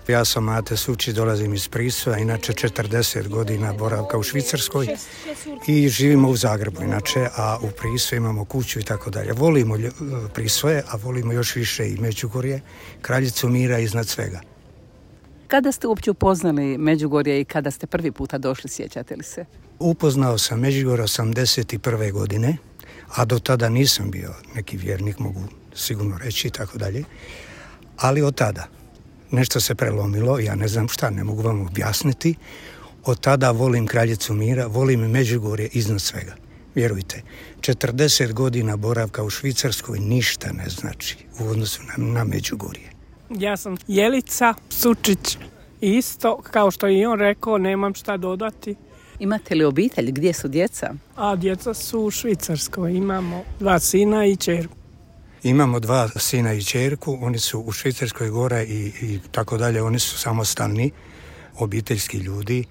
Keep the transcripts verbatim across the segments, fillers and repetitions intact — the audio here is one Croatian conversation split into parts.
Ja sam Mate Sučić, dolazim iz Prisvoja, inače četrdeset godina boravka u Švicarskoj i živimo u Zagrebu, inače, a u Prisvoju imamo kuću i tako dalje. Volimo Prisvoje, a volimo još više i Međugorje, kraljicu mira iznad svega. Kada ste uopće upoznali Međugorje i kada ste prvi puta došli, sjećate li se? Upoznao sam Međugorje osamdeset prve godine, a do tada nisam bio neki vjernik, mogu sigurno reći i tako dalje, ali od tada nešto se prelomilo, ja ne znam šta, ne mogu vam objasniti. Od tada volim kraljicu mira, volim Međugorje iznad svega. Vjerujte, četrdeset godina boravka u Švicarskoj ništa ne znači u odnosu na, na Međugorje. Ja sam Jelica Sučić, isto kao što je i on rekao, nemam šta dodati. Imate li obitelj? Gdje su djeca? A djeca su u Švicarskoj, imamo dva sina i ćerku. Imamo dva sina i ćerku, oni su u Švicarskoj gore i, i tako dalje, oni su samostalni, obiteljski ljudi,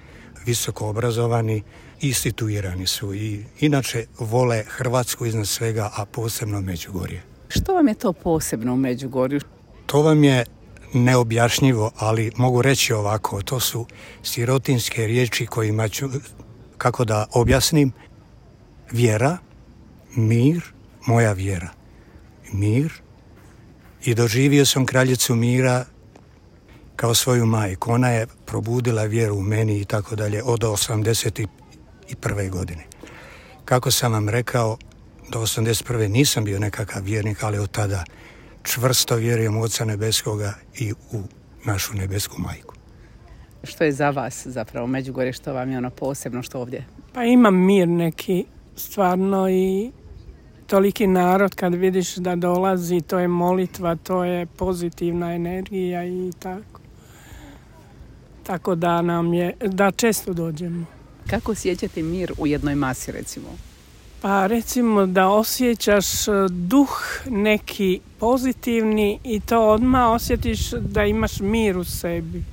visoko obrazovani i situirani su i inače vole Hrvatsku iznad svega, a posebno Međugorje. Što vam je to posebno u Međugorju? To vam je neobjašnjivo, ali mogu reći ovako, to su sirotinske riječi kojima ću, kako da objasnim, vjera, mir, moja vjera. Mir i doživio sam kraljicu mira kao svoju majku. Ona je probudila vjeru u meni i tako dalje od osamdeset prve godine. Kako sam vam rekao, do osamdeset prve nisam bio nekakav vjernik, ali od tada čvrsto vjerujem u Oca Nebeskoga i u našu nebesku majku. Što je za vas zapravo Međugorje, što vam je ono posebno, što ovdje? Pa imam mir neki stvarno i toliki narod kad vidiš da dolazi, to je molitva, to je pozitivna energija i tako. Tako da nam je, da često dođemo. Kako osjećate mir u jednoj masi, recimo? Pa recimo da osjećaš duh neki pozitivni i to odmah osjetiš da imaš mir u sebi.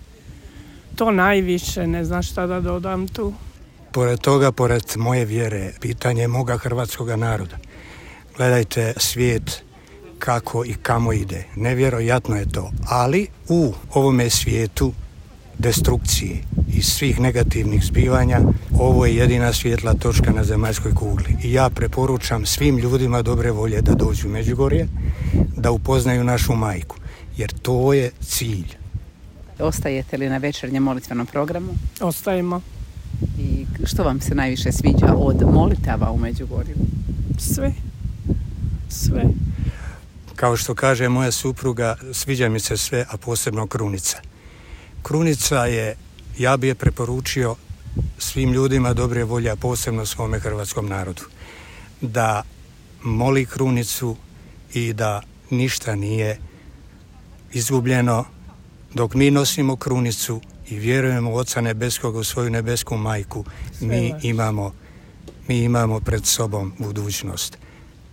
To najviše, ne znam šta da dodam tu. Pored toga, pored moje vjere, pitanje moga hrvatskog naroda. Gledajte svijet kako i kamo ide. Nevjerojatno je to. Ali u ovome svijetu destrukcije i svih negativnih zbivanja, ovo je jedina svjetla točka na zemaljskoj kugli. I ja preporučam svim ljudima dobre volje da dođu u Međugorje, da upoznaju našu majku. Jer to je cilj. Ostajete li na večernjem molitvenom programu? Ostajemo. I što vam se najviše sviđa od molitava u Međugorju? Sve. Sve. Kao što kaže moja supruga, sviđa mi se sve, a posebno krunica. Krunica je, ja bi je preporučio svim ljudima dobre volje, a posebno svome hrvatskom narodu, da moli krunicu i da ništa nije izgubljeno dok mi nosimo krunicu i vjerujemo u Oca Nebeskog, u svoju nebesku majku. Mi imamo, mi imamo pred sobom budućnost.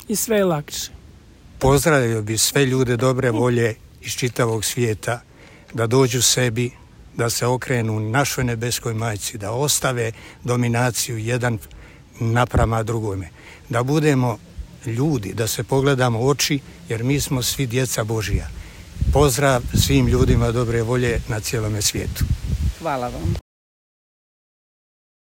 I sve je lakše. Pozdravio bi sve ljude dobre volje iz čitavog svijeta da dođu sebi, da se okrenu našoj nebeskoj majci, da ostave dominaciju jedan naprama drugome, da budemo ljudi, da se pogledamo u oči, jer mi smo svi djeca Božija. Pozdrav svim ljudima dobre volje na cijelome svijetu. Hvala vam.